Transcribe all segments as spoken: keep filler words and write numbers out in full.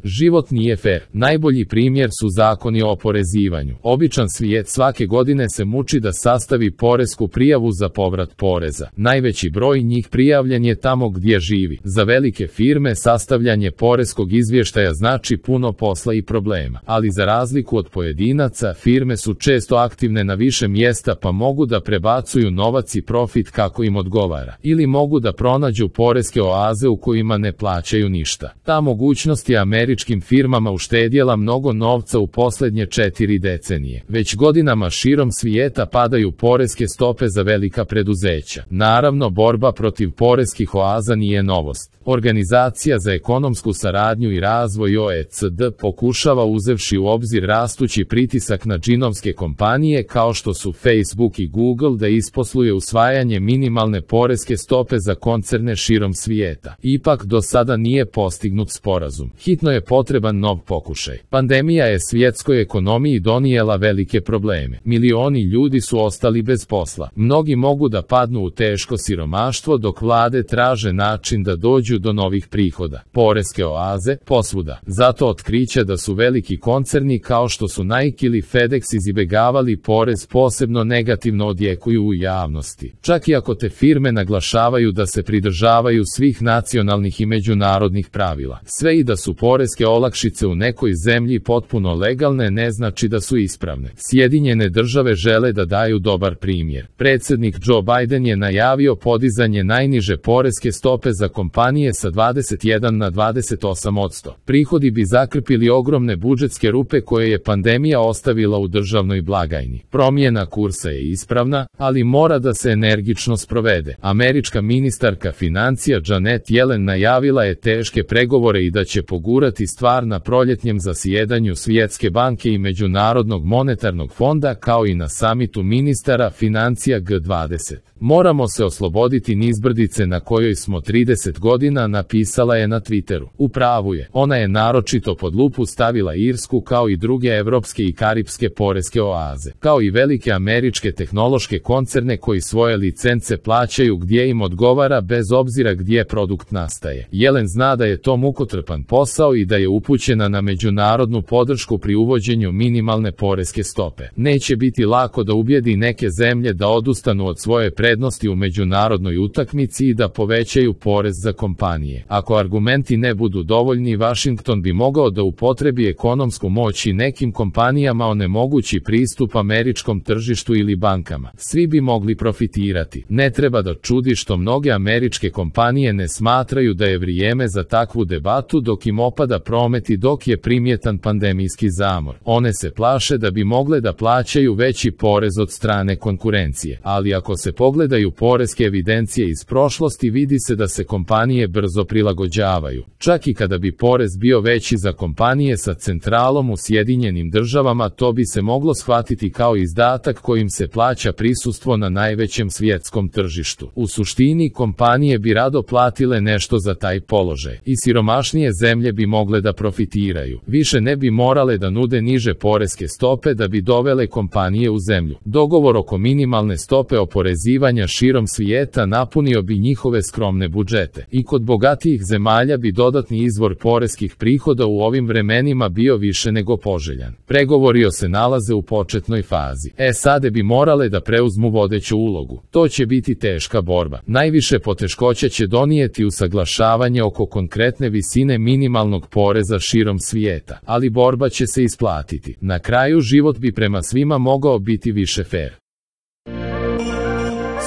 Život nije fer. Najbolji primjer su zakoni o oporezivanju. Običan svijet svake godine se muči da sastavi poresku prijavu za povrat poreza. Najveći broj njih prijavljen je tamo gdje živi. Za velike firme sastavljanje poreskog izvještaja znači puno posla i problema. Ali za razliku od pojedinaca, firme su često aktivne na više mjesta pa mogu da prebacuju novac i profit kako im odgovara. Ili mogu da pronađu poreske oaze u kojima ne plaćaju ništa. Ta mogućnost je američkim firmama uštedjela mnogo novca u posljednje četiri decenije. Već godinama širom svijeta padaju poreske stope za velika preduzeća. Naravno, borba protiv poreskih oaza nije novost. Organizacija za ekonomsku saradnju i razvoj O E C D pokušava, uzevši u obzir rastući pritisak na džinovske kompanije kao što su Facebook i Google, da isposluje usvajanje minimalne poreske stope za koncerne širom svijeta. Ipak do sada nije postignut sporazum. Hitno je potreban nov pokušaj. Pandemija je svjetskoj ekonomiji donijela velike probleme. Milioni ljudi su ostali bez posla. Mnogi mogu da padnu u teško siromaštvo dok vlade traže način da dođu do novih prihoda. Poreske oaze posvuda. Zato otkriće da su veliki koncerni kao što su Nike ili FedEx izbjegavali porez posebno negativno odjekuju u javnosti. Čak i ako te firme naglašavaju da se pridržavaju svih nacionalnih i međunarodnih pravila. Sve i da su poreske olakšice u nekoj zemlji potpuno legalne ne znači da su ispravne. Sjedinjene države žele da daju dobar primjer. Predsjednik Joe Biden je najavio podizanje najniže poreske stope za kompanije sa dvadeset jedan na dvadeset osam posto. Prihodi bi zakrpili ogromne budžetske rupe koje je pandemija ostavila u državnoj blagajni. Promjena kursa je ispravna, ali mora da se energično sprovede. Američka ministarka financija Janet Yellen najavila je teške pregovore i da će pogurati stvar na proljetnjem zasjedanju Svjetske banke i Međunarodnog monetarnog fonda kao i na samitu ministara financija G dvadeset. Moramo se osloboditi nizbrdice na kojoj smo trideset godina, napisala je na Twitteru. U pravu je. Ona je naročito pod lupu stavila Irsku kao i druge evropske i karipske poreske oaze, kao i velike američke tehnološke koncerne koji svoje licence plaćaju gdje im odgovara bez obzira gdje produkt nastaje. Yellen zna da je to mukotrpan posao i da je upućena na međunarodnu podršku pri uvođenju minimalne poreske stope. Neće biti lako da ubijedi neke zemlje da odustanu od svoje prednosti u međunarodnoj utakmici i da povećaju porez za kompanije. Ako argumenti ne budu dovoljni, Washington bi mogao da upotrebi ekonomsku moć i nekim kompanijama onemogući pristup američkom tržištu ili bankama. Svi bi mogli profitirati. Ne treba da čudi što mnoge američke kompanije ne smatraju da je vrijeme za takvu debatu dok im opada promet i dok je primjetan pandemijski zamor. One se plaše da bi mogle da plaćaju veći porez od strane konkurencije. Ali ako se pogledaju poreske evidencije iz prošlosti, vidi se da se kompanije brzo prilagođavaju. Čak i kada bi porez bio veći za kompanije sa centralom u Sjedinjenim državama, to bi se moglo shvatiti kao izdatak kojim se plaća prisustvo na najvećem svjetskom tržištu. U suštini, kompanije bi rado platile nešto za taj položaj. I siromašnije zemlje bi mogle da profitiraju. Više ne bi morale da nude niže poreske stope da bi dovele kompanije u zemlju. Dogovor oko minimalne stope oporezivanja širom svijeta napunio bi njihove skromne budžete. I kod bogatijih zemalja bi dodatni izvor poreskih prihoda u ovim vremenima bio više nego poželjan. Pregovori se nalaze u početnoj fazi. S A D bi morale da preuzmu vodeću ulogu. To će biti teška borba. Najviše poteškoća će donijeti usaglašavanje oko konkretne visine minimalnog poreza širom svijeta, ali borba će se isplatiti. Na kraju, život bi prema svima mogao biti više fer.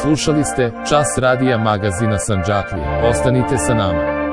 Slušali ste Čas radija magazina Sandžaklije. Ostanite sa nama.